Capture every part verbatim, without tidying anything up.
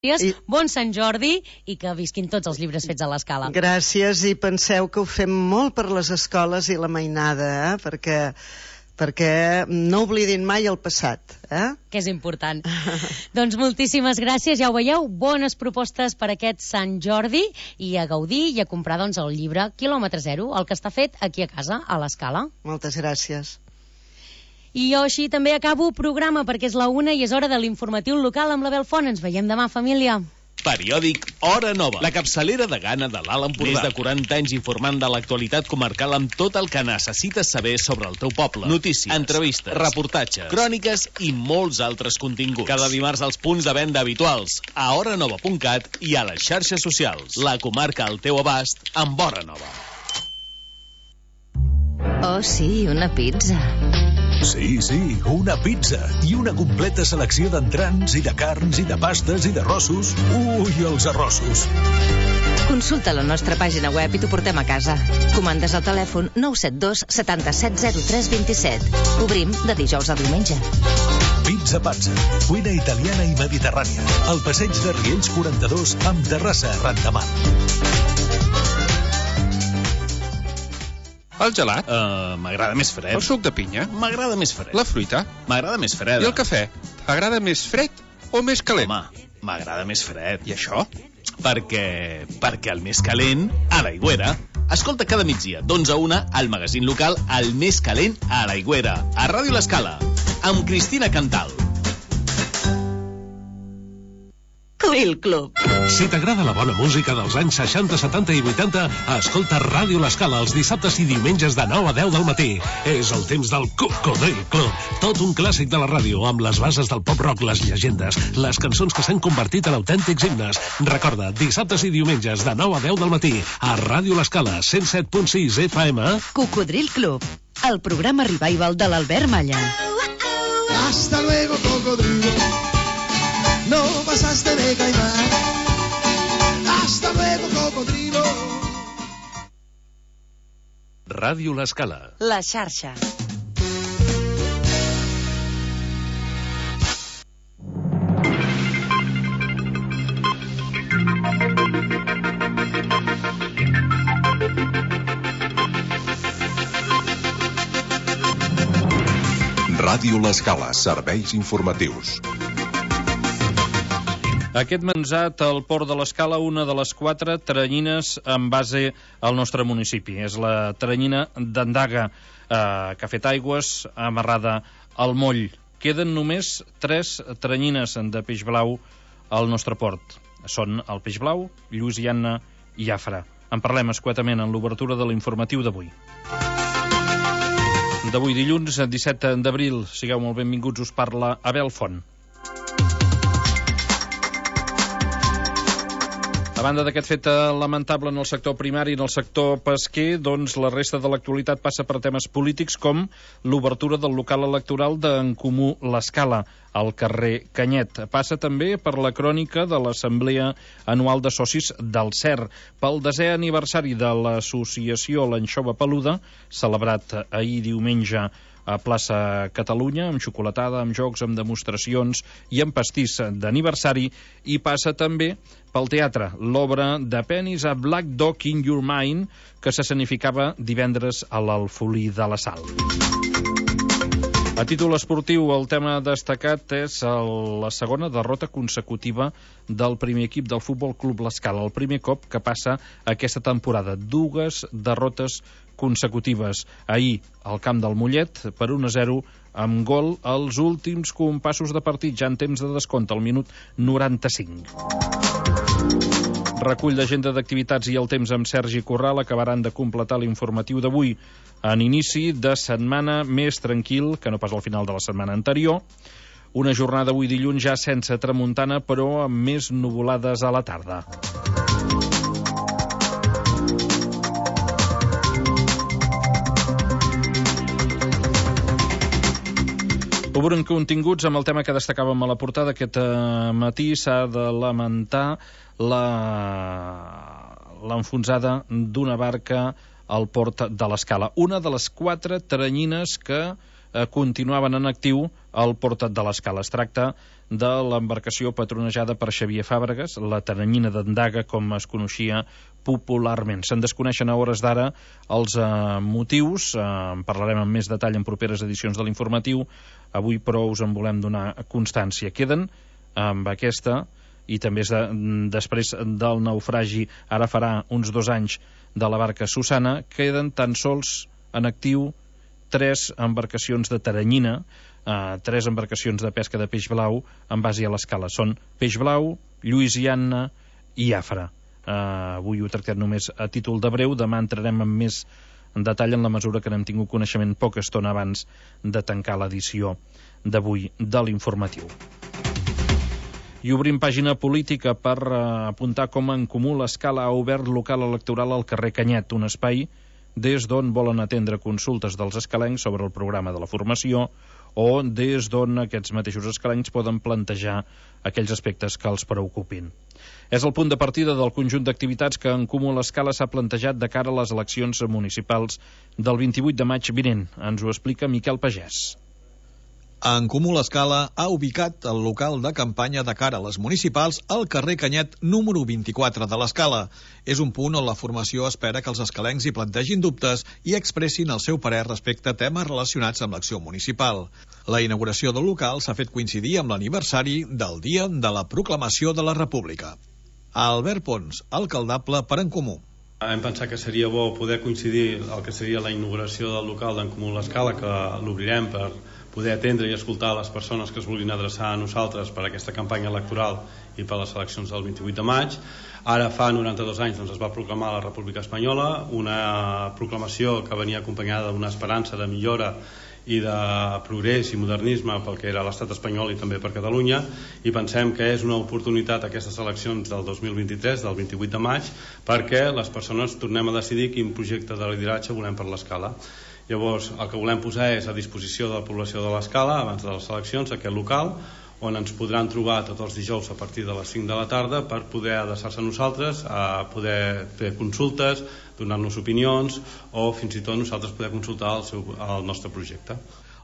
I... Bon Sant Jordi i que visquin tots els llibres fets a l'Escala. Gràcies, i penseu que ho fem molt per les escoles i la mainada, eh? perquè, perquè no oblidin mai el passat. Eh? Que és important. Doncs moltíssimes gràcies, ja ho veieu, bones propostes per aquest Sant Jordi i a gaudir i a comprar doncs, el llibre Quilòmetre Zero, el que està fet aquí a casa, a l'Escala. Moltes gràcies. I jo així també acabo programa perquè és la una i és hora de l'informatiu local amb la Belfont. Ens veiem demà, família. Periòdic Hora Nova, la capçalera de gana de l'Alt Empordà. Més de quaranta anys informant de l'actualitat comarcal amb tot el que necessites saber sobre el teu poble. Notícies, entrevistes, reportatges, cròniques i molts altres continguts. Cada dimarts als punts de venda habituals, a hora nova punt cat i a les xarxes socials. La comarca al teu abast amb Hora Nova. Oh, sí, una pizza. Sí, sí, una pizza i una completa selecció d'entrants i de carns i de pastes i d'arrossos. Ui, els arrossos! Consulta la nostra pàgina web i t'ho portem a casa. Comandes al telèfon nou set dos setanta-set zero tres vint-i-set. Obrim de dijous a diumenge. Pizza Pazza, cuina italiana i mediterrània. Al passeig de Riells quaranta-dos amb terrassa arran de mar. El gelat? Uh, M'agrada més fred. El suc de pinya? M'agrada més fred. La fruita? M'agrada més freda. I el cafè? T'agrada més fred o més calent? Home, m'agrada més fred. I això? Perquè... perquè el més calent, a l'Aigüera. Escolta cada migdia, d'onze a una, al magazín local El Més Calent a l'Aigüera, a Ràdio l'Escala, amb Cristina Cantal. Codril Club. Si t'agrada la bona música dels anys seixanta, setanta i vuitanta, escolta Ràdio l'Escala els dissabtes i diumenges de nou a deu del matí. És el temps del Codril Club. Tot un clàssic de la ràdio, amb les bases del pop-rock, les llegendes, les cançons que s'han convertit en autèntics himnes. Recorda, dissabtes i diumenges de nou a deu del matí, a Ràdio l'Escala, cent set punt sis F M. Cocodril Club, el programa revival de l'Albert Malla. Hasta luego, cocodrilo. No pasaste de caimán. Hasta luego, cocodrilo. Ràdio l'Escala. La xarxa. Ràdio l'Escala, serveis informatius. Aquest mensat al Port de l'Escala, una de les quatre teranyines en base al nostre municipi. És la teranyina d'Andaga, eh, que ha fet aigües, amarrada al moll. Queden només tres teranyines de peix blau al nostre port. Són el peix blau, Lluïsiana i Jafra. En parlem escuetament en l'obertura de l'informatiu d'avui. D'avui dilluns, disset d'abril. Sigueu molt benvinguts, us parla Abel Font. A banda d'aquest fet lamentable en el sector primari i en el sector pesquer, doncs la resta de l'actualitat passa per temes polítics com l'obertura del local electoral d'En Comú l'Escala, al carrer Canyet. Passa també per la crònica de l'Assemblea Anual de Socis del C E R, pel desè aniversari de l'associació L'Anxova Peluda, celebrat ahir diumenge a plaça Catalunya, amb xocolatada, amb jocs, amb demostracions i amb pastís d'aniversari, i passa també pel teatre, l'obra de Penis a Black Dog in Your Mind, que s'escenificava divendres a l'Alfolí de la Sal. A títol esportiu, el tema destacat és el, la segona derrota consecutiva del primer equip del Futbol Club l'Escala, el primer cop que passa aquesta temporada. Dues derrotes consecutives. Ahir, al camp del Mollet, per un a zero, amb gol als últims compassos de partit, ja en temps de descompte, al minut noranta-cinc. Recull d'agenda d'activitats i el temps amb Sergi Corral acabaran de completar l'informatiu d'avui en inici de setmana més tranquil que no pas al final de la setmana anterior. Una jornada avui dilluns ja sense tramuntana, però amb més nuvolades a la tarda. Obren continguts amb el tema que destacàvem a la portada. Aquest eh, matí s'ha de lamentar l'enfonsada d'una barca al port de l'Escala. Una de les quatre teranyines que eh, continuaven en actiu al Port de l'Escala. Es tracta de l'embarcació patronejada per Xavier Fàbregas, la Teranyina d'Andaga, com es coneixia popularment. Se'n desconeixen a hores d'ara els eh, motius, eh, en parlarem amb més detall en properes edicions de l'informatiu, avui però us en volem donar constància. Queden amb aquesta, i també és de, després del naufragi, ara farà uns dos anys, de la barca Susana, queden tan sols en actiu tres embarcacions de Teranyina, eh, tres embarcacions de pesca de peix blau en base a l'Escala. Són Peix Blau, Lluís i Anna i Afra. Eh, avui ho tractem només a títol de breu, demà entrarem en més detall en la mesura que n'hem tingut coneixement poca estona abans de tancar l'edició d'avui de l'informatiu. I obrim pàgina política per eh, apuntar com En Comú l'Escala ha obert local electoral al carrer Canyet, un espai des d'on volen atendre consultes dels escalencs sobre el programa de la formació o des d'on aquests mateixos escalencs poden plantejar aquells aspectes que els preocupin. És el punt de partida del conjunt d'activitats que En Comú l'Escala s'ha plantejat de cara a les eleccions municipals del vint-i-vuit de maig vinent. Ens ho explica Miquel Pagès. En Comú l'Escala ha ubicat el local de campanya de cara a les municipals al carrer Canyet número vint-i-quatre de l'Escala. És un punt on la formació espera que els escalencs hi plantegin dubtes i expressin el seu parer respecte a temes relacionats amb l'acció municipal. La inauguració del local s'ha fet coincidir amb l'aniversari del Dia de la Proclamació de la República. Albert Pons, alcaldable per En Comú. Hem pensat que seria bo poder coincidir el que seria la inauguració del local d'En Comú l'Escala, que l'obrirem per poder atendre i escoltar les persones que es vulguin adreçar a nosaltres per a aquesta campanya electoral i per a les eleccions del vint-i-vuit de maig. Ara fa noranta-dos anys doncs, es va proclamar la República Espanyola, una proclamació que venia acompanyada d'una esperança de millora i de progrés i modernisme pel que era l'estat espanyol i també per Catalunya, i pensem que és una oportunitat aquestes eleccions del dos mil vint-i-tres, del vint-i-vuit de maig, perquè les persones tornem a decidir quin projecte de lideratge volem per l'Escala. Llavors, el que volem posar és a disposició de la població de l'Escala, abans de les eleccions, aquest local, on ens podran trobar tots els dijous a partir de les cinc de la tarda per poder adreçar-se a nosaltres, a poder fer consultes, donar-nos opinions o fins i tot nosaltres poder consultar el, seu, el nostre projecte.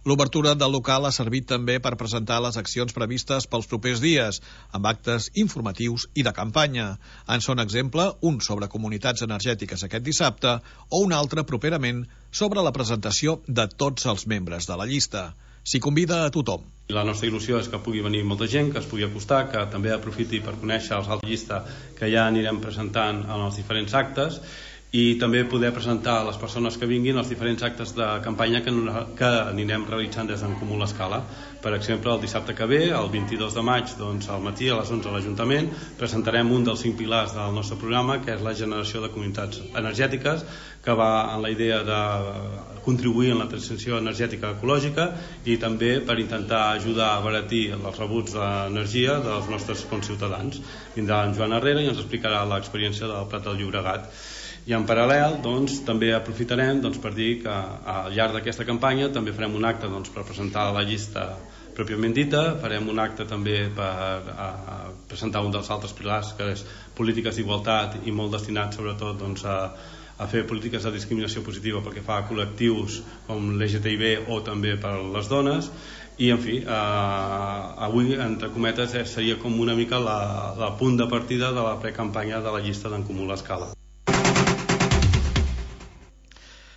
L'obertura del local ha servit també per presentar les accions previstes pels propers dies, amb actes informatius i de campanya. En són exemple un sobre comunitats energètiques aquest dissabte o un altre properament sobre la presentació de tots els membres de la llista. S'hi convida a tothom. La nostra il·lusió és que pugui venir molta gent, que es pugui acostar, que també aprofiti per conèixer els altres llista que ja anirem presentant en els diferents actes, i també poder presentar a les persones que vinguin els diferents actes de campanya que, que anirem realitzant des d'En Comú l'Escala. Per exemple, el dissabte que ve, el vint-i-dos de maig, doncs, al matí a les onze a l'Ajuntament, presentarem un dels cinc pilars del nostre programa, que és la generació de comunitats energètiques, que va en la idea de contribuir en la transició energètica ecològica i també per intentar ajudar a abaratir els rebuts d'energia dels nostres conciutadans. Vindrà en Joan Herrera i ens explicarà l'experiència del Prat del Llobregat. I en paral·lel doncs, també aprofitarem doncs, per dir que al llarg d'aquesta campanya també farem un acte doncs, per presentar la llista pròpiament dita, farem un acte també per a, a presentar un dels altres pilars, que és polítiques d'igualtat i molt destinat sobretot doncs, a, a fer polítiques de discriminació positiva pel que fa a col·lectius com l'L G T B I o també per les dones. I en fi, eh, avui entre cometes seria com una mica la, la punt de partida de la precampanya de la llista d'En Comú l'Escala.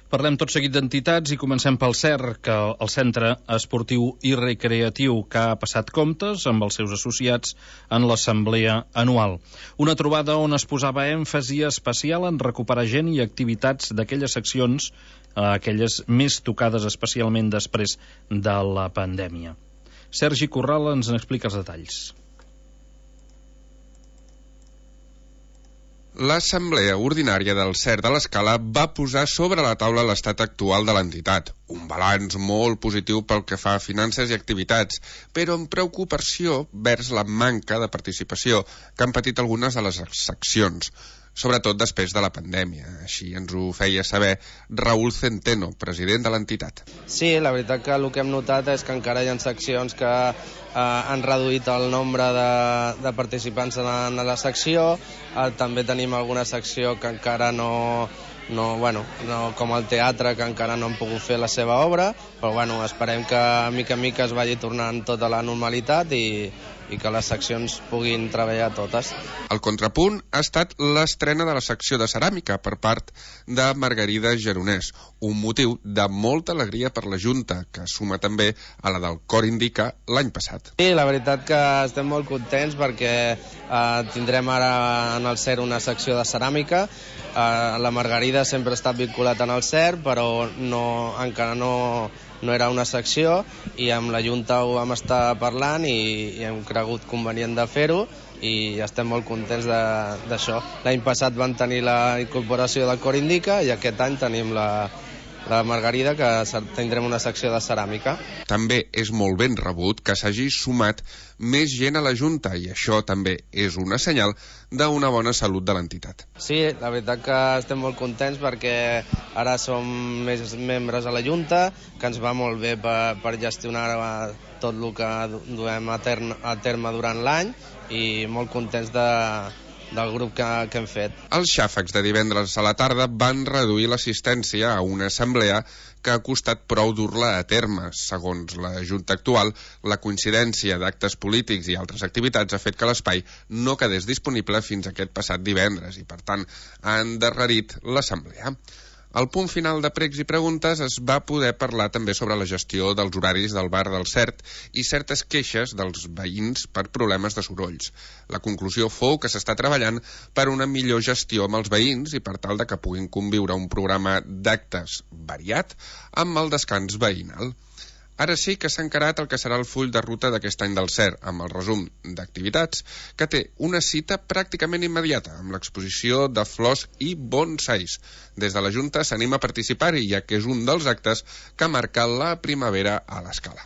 Parlem tot seguit d'entitats i comencem pel C E R, que el Centre Esportiu i Recreatiu, que ha passat comptes amb els seus associats en l'assemblea anual. Una trobada on es posava èmfasi especial en recuperar gent i activitats d'aquelles seccions, aquelles més tocades especialment després de la pandèmia. Sergi Corral ens n'explica els detalls. L'Assemblea Ordinària del C E R de l'Escala va posar sobre la taula l'estat actual de l'entitat. Un balanç molt positiu pel que fa a finances i activitats, però amb preocupació vers la manca de participació que han patit algunes de les seccions, sobretot després de la pandèmia. Així ens ho feia saber Raúl Centeno, president de l'entitat. Sí, la veritat que el que hem notat és que encara hi ha seccions que eh, han reduït el nombre de, de participants en la, en la secció. Eh, també tenim alguna secció que encara no, no, bueno, no com el teatre, que encara no han pogut fer la seva obra, però bueno, esperem que mica en mica es vagi tornant tota la normalitat i, i que les seccions puguin treballar totes. El contrapunt ha estat l'estrena de la secció de ceràmica per part de Margarida Geronès, un motiu de molta alegria per la Junta, que suma també a la del Cor Indica l'any passat. Sí, la veritat que estem molt contents perquè eh, tindrem ara en el C E R una secció de ceràmica. Eh, la Margarida sempre ha estat vinculat en el C E R, però no, encara no, no era una secció, i amb la Junta ho vam estar parlant i, i hem cregut convenient de fer-ho, i estem molt contents d'això. L'any passat van tenir la incorporació del Cor Indica i aquest any tenim la, la Margarida, que tindrem una secció de ceràmica. També és molt ben rebut que s'hagi sumat més gent a la Junta, i això també és una senyal d'una bona salut de l'entitat. Sí, la veritat que estem molt contents perquè ara som més membres a la Junta, que ens va molt bé per, per gestionar tot el que duem a terme, a terme durant l'any, i molt contents de, del grup que, que hem fet. Els xàfecs de divendres a la tarda van reduir l'assistència a una assemblea que ha costat prou dur-la a terme. Segons la Junta actual, la coincidència d'actes polítics i altres activitats ha fet que l'espai no quedés disponible fins aquest passat divendres i, per tant, ha endarrerit l'assemblea. Al punt final de pregs i preguntes es va poder parlar també sobre la gestió dels horaris del bar del Cert i certes queixes dels veïns per problemes de sorolls. La conclusió fou que s'està treballant per una millor gestió amb els veïns i per tal de que puguin conviure un programa d'actes variat amb el descans veïnal. Ara sí que s'ha encarat el que serà el full de ruta d'aquest any del C E R, amb el resum d'activitats, que té una cita pràcticament immediata, amb l'exposició de flors i bonsais. Des de la Junta s'anima a participar-hi, ja que és un dels actes que marca la primavera a l'Escala.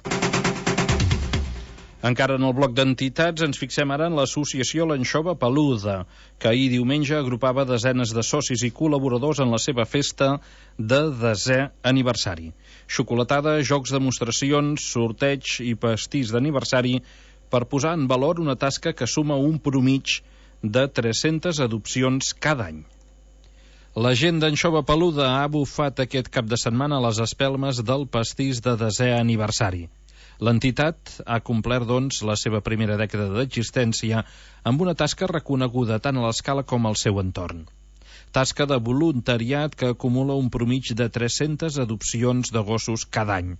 Encara en el bloc d'entitats ens fixem ara en l'associació L'Anxova Peluda, que ahir diumenge agrupava desenes de socis i col·laboradors en la seva festa de desè aniversari. Xocolatada, jocs, demostracions, sorteig i pastís d'aniversari per posar en valor una tasca que suma un promig de tres-centes adopcions cada any. La gent d'Anxova Peluda ha bufat aquest cap de setmana a les espelmes del pastís de desè aniversari. L'entitat ha complert, doncs, la seva primera dècada d'existència amb una tasca reconeguda tant a l'Escala com al seu entorn. Tasca de voluntariat que acumula un promig de tres-centes adopcions de gossos cada any.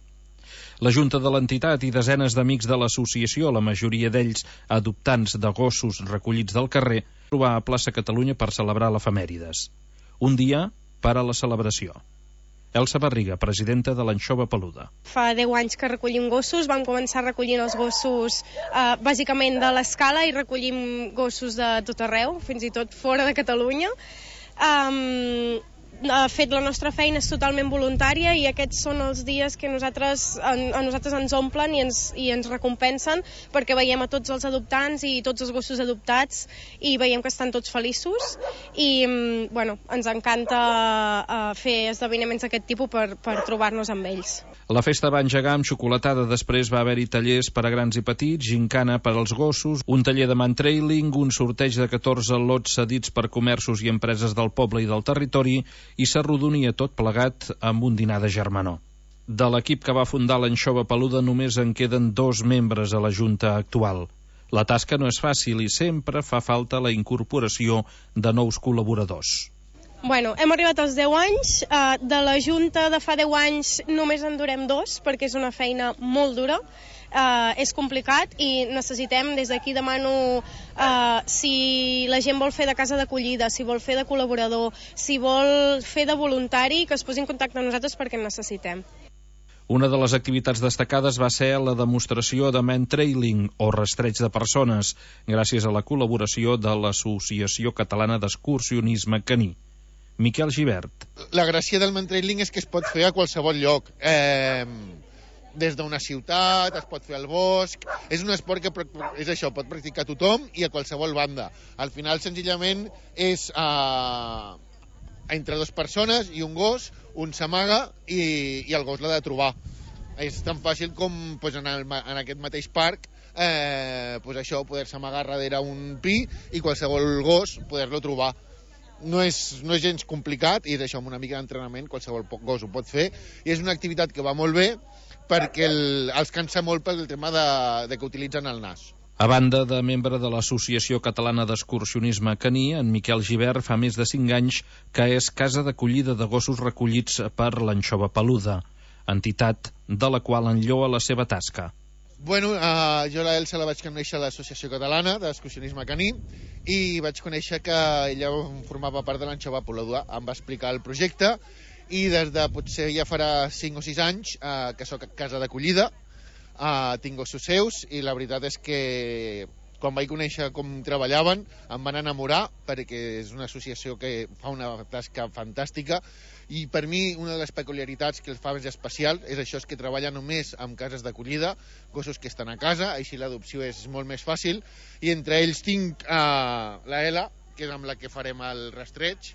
La Junta de l'entitat i desenes d'amics de l'associació, la majoria d'ells adoptants de gossos recollits del carrer, trobar a plaça Catalunya per celebrar l'efemèrides. Un dia per a la celebració. Elsa Barriga, presidenta de l'Anxova Peluda. Fa deu anys que recollim gossos, vam començar recollint els gossos eh, bàsicament de l'Escala i recollim gossos de tot arreu, fins i tot fora de Catalunya. Um, de fet, la nostra feina és totalment voluntària i aquests són els dies que nosaltres, a, a nosaltres ens omplen i ens, i ens recompensen, perquè veiem a tots els adoptants i tots els gossos adoptats i veiem que estan tots feliços i bueno, ens encanta uh, fer esdeveniments d'aquest tipus per, per trobar-nos amb ells. La festa va engegar amb xocolatada, després va haver-hi tallers per a grans i petits, gincana per als gossos, un taller de mantrailing, un sorteig de catorze lots cedits per comerços i empreses del poble i del territori, i s'arrodonia tot plegat amb un dinar de germanor. De l'equip que va fundar l'Anxova Peluda només en queden dos membres a la Junta actual. La tasca no és fàcil i sempre fa falta la incorporació de nous col·laboradors. Bueno, hem arribat als deu anys, eh, de la Junta de fa deu anys només en durem dos, perquè és una feina molt dura, eh, és complicat i necessitem, des d'aquí demano eh, si la gent vol fer de casa d'acollida, si vol fer de col·laborador, si vol fer de voluntari, que es posi en contacte amb nosaltres perquè en necessitem. Una de les activitats destacades va ser la demostració de mantrailing, o rastreig de persones, gràcies a la col·laboració de l'Associació Catalana d'Excursionisme Caní. Miquel Gibert. La gràcia del mantrailing és que es pot fer a qualsevol lloc. Eh, des d'una ciutat, es pot fer al bosc. És un esport que és això, pot practicar tothom i a qualsevol banda. Al final, senzillament, és eh, entre dues persones i un gos, un s'amaga i, i el gos l'ha de trobar. És tan fàcil com pues, en, el, en aquest mateix parc eh, pues això, poder-se amagar darrere un pi i qualsevol gos poder-lo trobar. no és, no és gens complicat, i és això, amb una mica d'entrenament qualsevol gos ho pot fer, i és una activitat que va molt bé perquè el, els cansa molt pel tema de, de que utilitzen el nas. A banda de membre de l'Associació Catalana d'Excursionisme Caní, en Miquel Gibert fa més de cinc anys que és casa d'acollida de gossos recollits per l'Anxova Peluda, entitat de la qual enlloa la seva tasca. Bueno, uh, jo la Elsa la vaig conèixer a l'Associació Catalana d'Excursionisme Caní i vaig conèixer que ella formava part de l'Anxova Peluda. Em va explicar el projecte i des de potser ja farà cinc o sis anys uh, que soc casa d'acollida. Uh, tinc gossos seus i la veritat és que quan vaig conèixer com treballaven em van enamorar perquè és una associació que fa una tasca fantàstica i per mi una de les peculiaritats que els fa més especial és això, és que treballa només amb cases d'acollida, gossos que estan a casa, així l'adopció és molt més fàcil, i entre ells tinc uh, la Ela, que és amb la que farem el rastreig,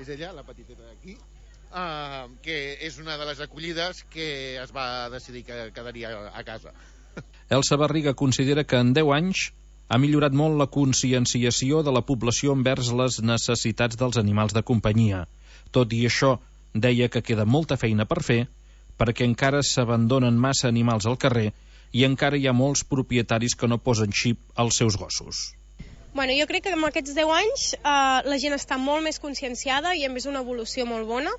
és ella, la petiteta d'aquí, Uh, que és una de les acollides que es va decidir que quedaria a casa. Elsa Barriga considera que en deu anys ha millorat molt la conscienciació de la població envers les necessitats dels animals de companyia. Tot i això, deia que queda molta feina per fer perquè encara s'abandonen massa animals al carrer i encara hi ha molts propietaris que no posen xip als seus gossos. Bueno, jo crec que en aquests deu anys eh, la gent està molt més conscienciada i a més una evolució molt bona.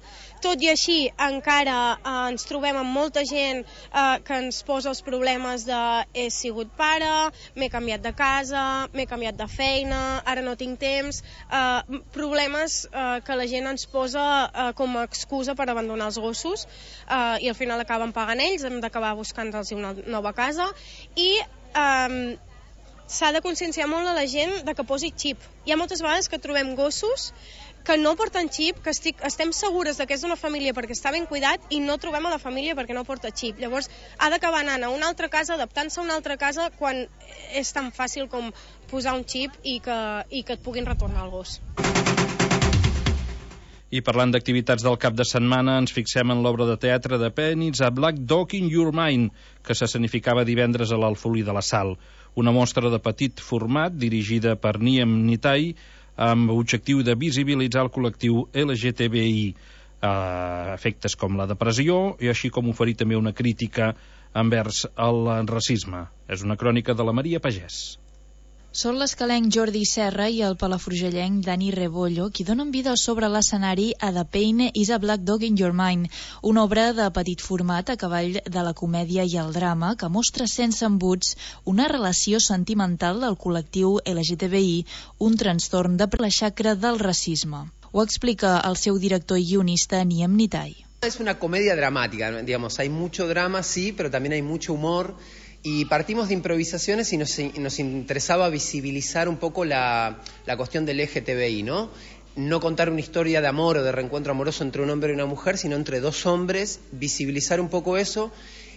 Tot i així, encara eh, ens trobem amb molta gent eh, que ens posa els problemes de he sigut pare, m'he canviat de casa, m'he canviat de feina, ara no tinc temps, eh, problemes eh, que la gent ens posa eh, com a excusa per abandonar els gossos eh, i al final acaben pagant ells, hem d'acabar buscant-los una nova casa i eh, s'ha de conscienciar molt a la gent de que posi xip. Hi ha moltes vegades que trobem gossos que no porten xip, que estic, estem segures que és d'una família perquè està ben cuidat i no trobem a la família perquè no porta xip. Llavors ha d'acabar anant a una altra casa, adaptant-se a una altra casa quan és tan fàcil com posar un xip i que, i que et puguin retornar el gos. I parlant d'activitats del cap de setmana, ens fixem en l'obra de teatre de Penis a Black Dog in Your Mind, que s'escenificava divendres a l'Alfolí de la Sal. Una mostra de petit format dirigida per Niem Nitai amb objectiu de visibilitzar el col·lectiu L G T B I, eh, efectes com la depressió i així com oferir també una crítica envers el racisme. És una crònica de la Maria Pagès. Són l'escalenc Jordi Serra i el palafrugellenc Dani Rebollo qui donen vida sobre l'escenari a The Pain is a Black Dog in Your Mind, una obra de petit format a cavall de la comèdia i el drama que mostra sense embuts una relació sentimental del col·lectiu L G T B I, un trastorn de la xacra del racisme. Ho explica el seu director i guionista Niem Nitai. Es una comedia dramática, digamos, hay mucho drama, sí, pero también hay mucho humor. Y partimos de improvisaciones y nos, nos interesaba visibilizar un poco la, la cuestión del L G T B I, ¿no? No contar una historia de amor o de reencuentro amoroso entre un hombre y una mujer, sino entre dos hombres, visibilizar un poco eso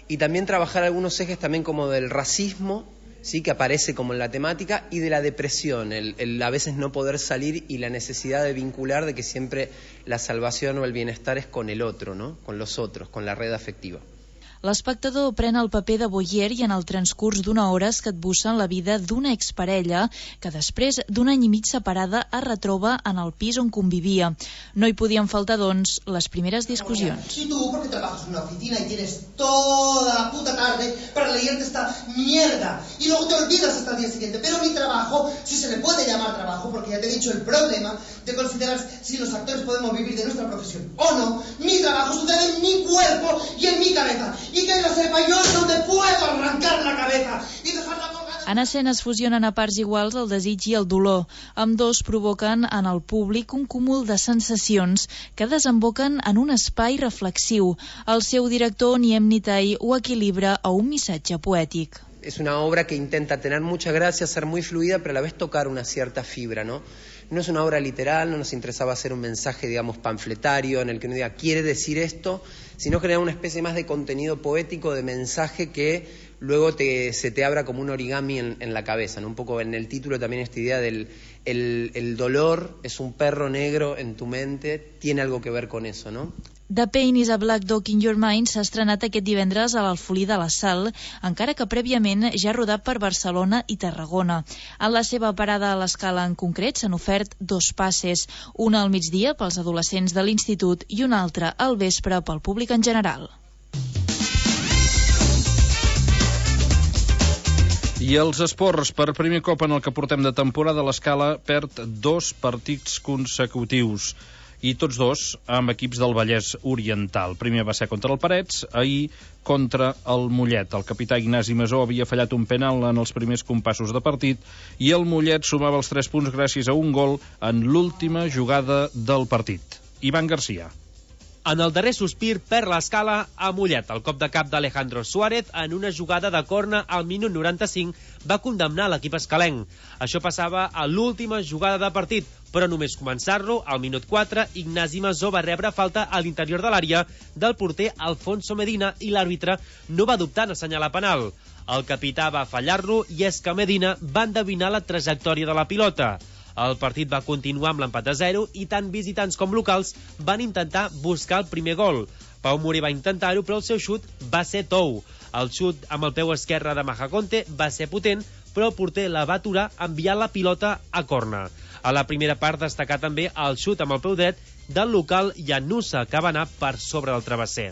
y también trabajar algunos ejes también como del racismo, sí, que aparece como en la temática, y de la depresión, el, el a veces no poder salir y la necesidad de vincular de que siempre la salvación o el bienestar es con el otro, ¿no? Con los otros, con la red afectiva. L'espectador pren el paper de voyeur i en el transcurs d'una hora es capbussa en la vida d'una exparella que després d'un any i mig separada es retroba en el pis on convivia. No hi podien faltar, doncs, les primeres discussions. Y tú, porque trabajas en una oficina y tienes toda la puta tarde para leerte esta mierda y luego te olvidas hasta el día siguiente. Pero mi trabajo, si se le puede llamar trabajo, porque ya te he dicho el problema de considerar si los actores podemos vivir de nuestra profesión o no, mi trabajo sucede en mi cuerpo y en mi cabeza. Y que lo sepa, yo no te puedo arrancar la cabeza y dejarla colgada. En escena es fusionen a parts iguals el desig i el dolor. Ambdós provoquen en el públic un cúmul de sensacions que desemboquen en un espai reflexiu. El seu director, Niem Nitai, ho equilibra a un missatge poètic. Es una obra que intenta tener mucha gracia, ser muy fluida, pero a la vez tocar una cierta fibra, ¿no? No es una obra literal, no nos interesaba hacer un mensaje, digamos, panfletario en el que uno diga, quiere decir esto, sino generar una especie más de contenido poético, de mensaje que luego te, se te abra como un origami en, en la cabeza, ¿no? Un poco en el título también esta idea del el, el dolor es un perro negro en tu mente, tiene algo que ver con eso, ¿no? The Pain is a Black Dog in Your Mind s'ha estrenat aquest divendres a l'Alfolí de la Sal, encara que prèviament ja ha rodat per Barcelona i Tarragona. En la seva parada a l'Escala en concret s'han ofert dos passes, una al migdia pels adolescents de l'institut i una altra al vespre pel públic en general. I els esports, per primer cop en el que portem de temporada, l'Escala perd dos partits consecutius, i tots dos amb equips del Vallès Oriental. Primer va ser contra el Parets, ahir contra el Mollet. El capità Ignasi Masó havia fallat un penal en els primers compassos de partit i el Mollet sumava els tres punts gràcies a un gol en l'última jugada del partit. Ivan Garcia. En el darrer sospir perd l'Escala a Mollet. El cop de cap d'Alejandro Suárez en una jugada de corna al minut noranta-cinc va condemnar l'equip escalenc. Això passava a l'última jugada de partit, però només començar-lo, al minut quatre, Ignasi Masó va rebre falta a l'interior de l'àrea del porter Alfonso Medina i l'àrbitre no va dubtar en assenyalar penal. El capità va fallar-lo i és que Medina va endevinar la trajectòria de la pilota. El partit va continuar amb l'empat a zero i tant visitants com locals van intentar buscar el primer gol. Pau Moré va intentar-ho, però el seu xut va ser tou. El xut amb el peu esquerre de Majaconte va ser potent, però el porter la va aturar enviant la pilota a corna. A la primera part destacà també el xut amb el peu dret del local Llanusa, que va anar per sobre del travesser.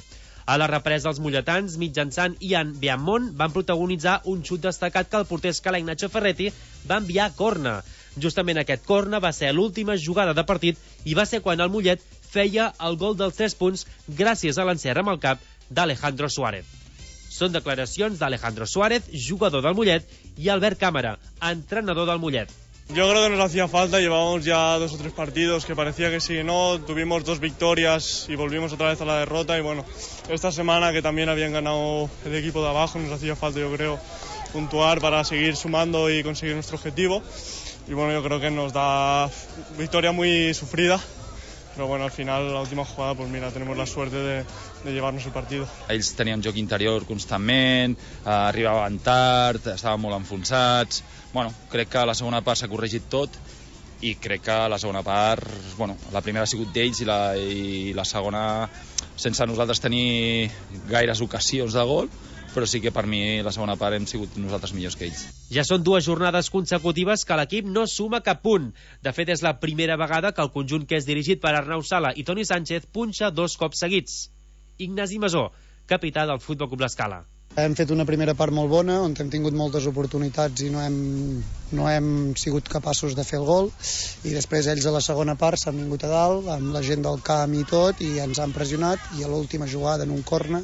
A la represa, els molletans, mitjançant Ian Beamont, van protagonitzar un xut destacat que el porter escalenc Nacho Ferretti va enviar a corna. Justament aquest corna va ser l'última jugada de partit i va ser quan el Mollet feia el gol dels tres punts gràcies a l'encert amb el cap d'Alejandro Suárez. Són declaracions d'Alejandro Suárez, jugador del Mollet, i Albert Cámara, entrenador del Mollet. Yo creo que nos hacía falta, llevábamos ya dos o tres partidos que parecía que sí, no, tuvimos dos victorias y volvimos otra vez a la derrota y bueno, esta semana que también habían ganado el equipo de abajo, nos hacía falta yo creo puntuar para seguir sumando y conseguir nuestro objetivo y bueno, yo creo que nos da victoria muy sufrida, però bueno, al final, la última jugada, pues mira, tenemos la suerte de, de llevarnos el partido. Ells tenien joc interior constantment, eh, arribaven tard, estaven molt enfonsats. Bueno, crec que a la segona part s'ha corregit tot i crec que la segona part, bueno, la primera ha sigut d'ells i la, i la segona sense nosaltres tenir gaires ocasions de gol, però sí que per mi la segona part hem sigut nosaltres millors que ells. Ja són dues jornades consecutives que l'equip no suma cap punt. De fet, és la primera vegada que el conjunt que és dirigit per Arnau Sala i Toni Sánchez punxa dos cops seguits. Ignasi Masó, capità del Futbol Club l'Escala. Hem fet una primera part molt bona, on hem tingut moltes oportunitats i no hem, no hem sigut capaços de fer el gol, i després ells a la segona part s'han vingut a dalt, amb la gent del camp i tot, i ens han pressionat, i a l'última jugada en un corna,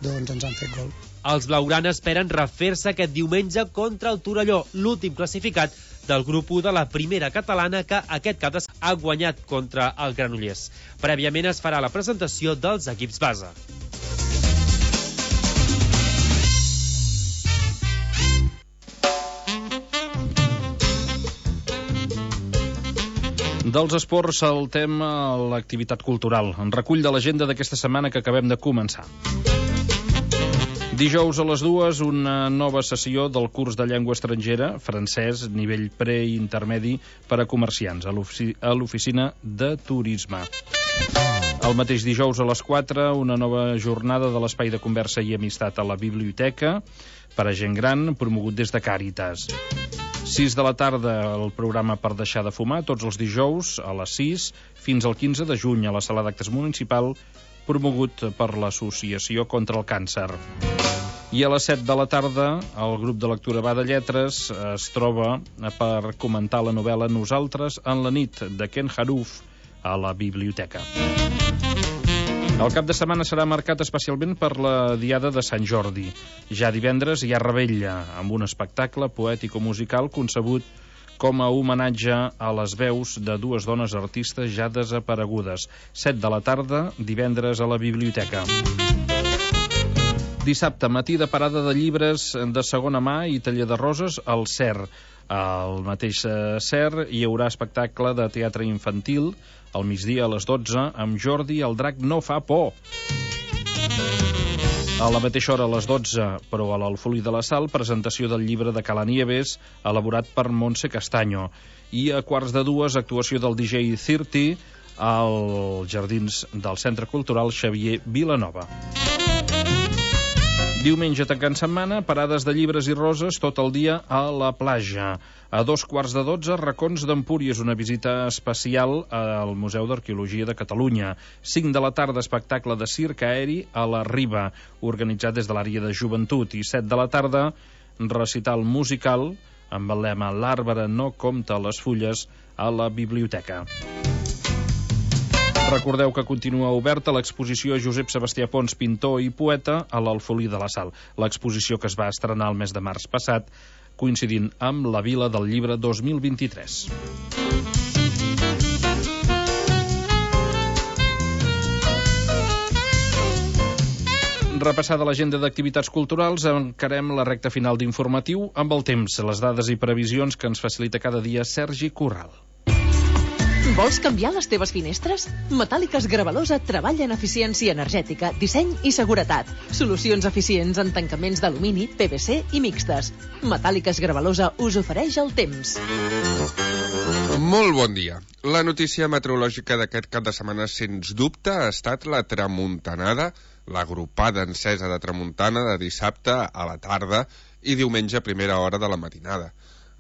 doncs ens han fet gol. Els blaugrana esperen refer-se aquest diumenge contra el Torelló, l'últim classificat del grup u de la primera catalana que aquest cap de setmana ha guanyat contra el Granollers. Prèviament es farà la presentació dels equips base. Dels esports saltem a l'activitat cultural, en recull de l'agenda d'aquesta setmana que acabem de començar. Dijous a les dues, una nova sessió del curs de llengua estrangera, francès, nivell pre-intermedi per a comerciants, a l'oficina de turisme. El mateix dijous a les quatre, una nova jornada de l'espai de conversa i amistat a la biblioteca per a gent gran, promogut des de Càritas. sis de la tarda, el programa per deixar de fumar, tots els dijous a les sis, fins al quinze de juny a la sala d'actes municipal, promogut per l'Associació contra el Càncer. I a les set de la tarda, el grup de lectura Va de Lletres es troba per comentar la novel·la Nosaltres en la nit, de Ken Haruf, a la biblioteca. El cap de setmana serà marcat especialment per la Diada de Sant Jordi. Ja divendres hi ha Revetlla, amb un espectacle poètico-musical concebut com a homenatge a les veus de dues dones artistes ja desaparegudes. set de la tarda, divendres a la biblioteca. Dissabte, matí de parada de llibres de segona mà i taller de roses al C E R. Al mateix C E R hi haurà espectacle de teatre infantil al migdia a les dotze amb Jordi el drac no fa por. A la mateixa hora, a les dotze, però a l'Alfolí de la Sal, presentació del llibre de Calanieves, elaborat per Montse Castaño. I a quarts de dues, actuació del D J trenta als jardins del Centre Cultural Xavier Vilanova. Diumenge, tancant setmana, parades de llibres i roses tot el dia a la platja. A dos quarts de dotze, Racons d'Empúries, una visita especial al Museu d'Arqueologia de Catalunya. Cinc de la tarda, espectacle de circ aeri a la Riba, organitzat des de l'àrea de joventut. I set de la tarda, recital musical amb el lema L'arbre no compta les fulles a la biblioteca. Recordeu que continua oberta l'exposició Josep Sebastià Pons, pintor i poeta, a l'Alfolí de la Sal. L'exposició que es va estrenar el mes de març passat, coincidint amb la Vila del Llibre dos mil vint-i-tres. Repassada l'agenda d'activitats culturals, encarem la recta final d'informatiu amb el temps, les dades i previsions que ens facilita cada dia Sergi Corral. Vols canviar les teves finestres? Metàl·liques Gravalosa treballa en eficiència energètica, disseny i seguretat. Solucions eficients en tancaments d'alumini, P V C i mixtes. Metàl·liques Gravalosa us ofereix el temps. Molt bon dia. La notícia meteorològica d'aquest cap de setmana, sens dubte, ha estat la tramuntanada, l'agrupada encesa de tramuntana de dissabte a la tarda i diumenge a primera hora de la matinada.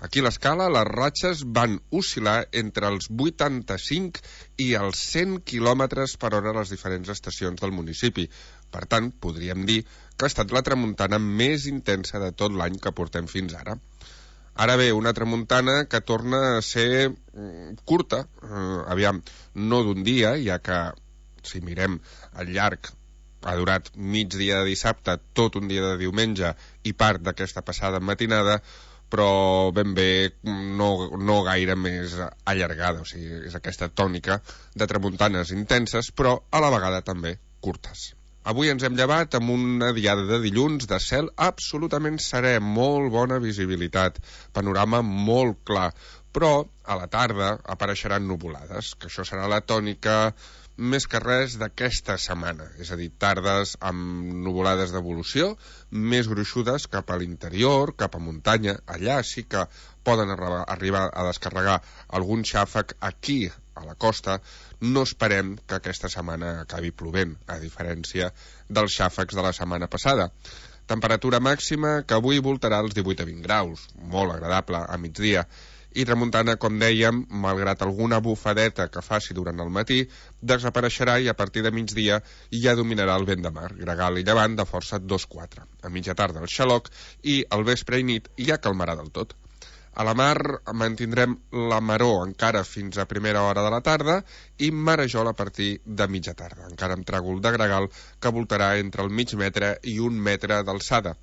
Aquí a l'Escala, les ratxes van oscil·lar entre els vuitanta-cinc i els cent quilòmetres per hora a les diferents estacions del municipi. Per tant, podríem dir que ha estat la tramuntana més intensa de tot l'any que portem fins ara. Ara bé, una tramuntana que torna a ser mm, curta, eh, aviam, no d'un dia, ja que, si mirem al llarg, ha durat mig dia de dissabte, tot un dia de diumenge i part d'aquesta passada matinada, però ben bé no, no gaire més allargada. O sigui, és aquesta tònica de tramuntanes intenses, però a la vegada també curtes. Avui ens hem llevat amb una diada de dilluns de cel absolutament serè, molt bona visibilitat, panorama molt clar, però a la tarda apareixeran nuvolades, que això serà la tònica més que res d'aquesta setmana, és a dir, tardes amb nuvolades d'evolució, més gruixudes cap a l'interior, cap a muntanya. Allà sí que poden arribar a descarregar algun xàfec. Aquí, a la costa, no esperem que aquesta setmana acabi plovent, a diferència dels xàfecs de la setmana passada. Temperatura màxima que avui voltarà els divuit a vint graus, molt agradable a migdia. I tramuntana, com dèiem, malgrat alguna bufadeta que faci durant el matí, desapareixerà i a partir de migdia ja dominarà el vent de mar, gregal i llevant de força dos quatre. A mitja tarda el xaloc i al vespre i nit ja calmarà del tot. A la mar mantindrem la maror encara fins a primera hora de la tarda i marejol a partir de mitja tarda, encara amb tràgol de gregal que voltarà entre el mig metre i un metre d'alçada.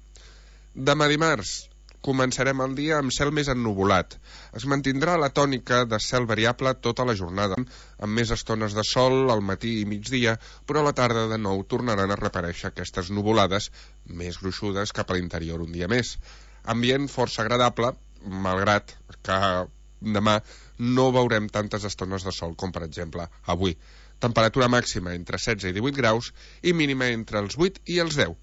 Demà dimarts començarem el dia amb cel més ennuvolat. Es mantindrà la tònica de cel variable tota la jornada, amb més estones de sol al matí i migdia, però a la tarda de nou tornaran a reaparèixer aquestes nuvolades més gruixudes cap a l'interior un dia més. Ambient força agradable, malgrat que demà no veurem tantes estones de sol com, per exemple, avui. Temperatura màxima entre setze i divuit graus i mínima entre els vuit i els deu.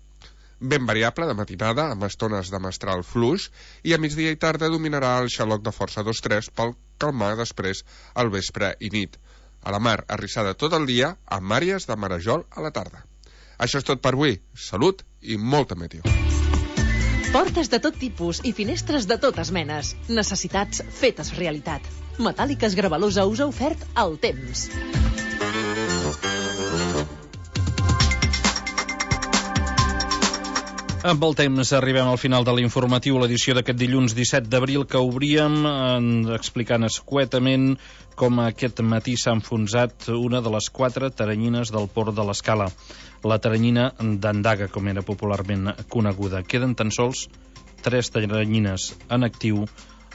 Ben variable de matinada, amb estones de mestral fluix, i a migdia i tarda dominarà el xaloc de força dos tres pel calmar després al vespre i nit. A la mar, arrissada tot el dia, amb àrees de marejol a la tarda. Això és tot per avui. Salut i molta meteo. Portes de tot tipus i finestres de totes menes. Necessitats fetes realitat. Metàl·liques Gravalosa us ha ofert el temps. Amb el temps arribem al final de l'informatiu, l'edició d'aquest dilluns disset d'abril, que obríem eh, explicant escuetament com aquest matí s'ha enfonsat una de les quatre taranyines del port de l'Escala, la taranyina d'Andaga, com era popularment coneguda. Queden tan sols tres taranyines en actiu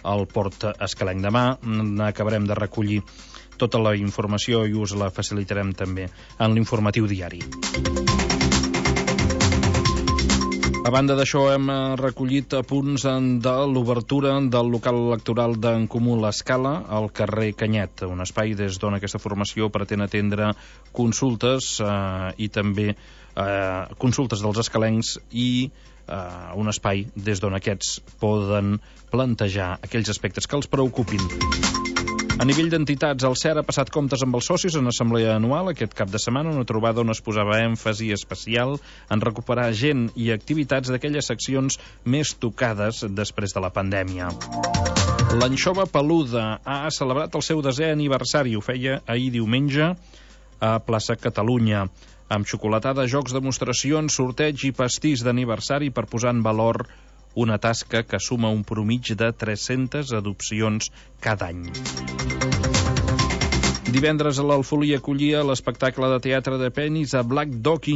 al port escalenc. Demà acabarem de recollir tota la informació i us la facilitarem també en l'informatiu diari. A banda d'això, hem recollit apunts de l'obertura del local electoral d'en Comú l'Escala al carrer Canyet, un espai des d'on aquesta formació pretén atendre consultes eh, i també eh, consultes dels escalencs i eh, un espai des d'on aquests poden plantejar aquells aspectes que els preocupin. A nivell d'entitats, el C E R ha passat comptes amb els socis en assemblea anual aquest cap de setmana, una trobada on es posava èmfasi especial en recuperar gent i activitats d'aquelles seccions més tocades després de la pandèmia. L'anxova peluda ha celebrat el seu desè aniversari, ho feia ahir diumenge a Plaça Catalunya, amb xocolatada, jocs, demostracions, sorteig i pastís d'aniversari per posar en valor una tasca que suma un promig de tres-centes adopcions cada any. Divendres a l'Alfolí acollia l'espectacle de teatre de penis a Black Dog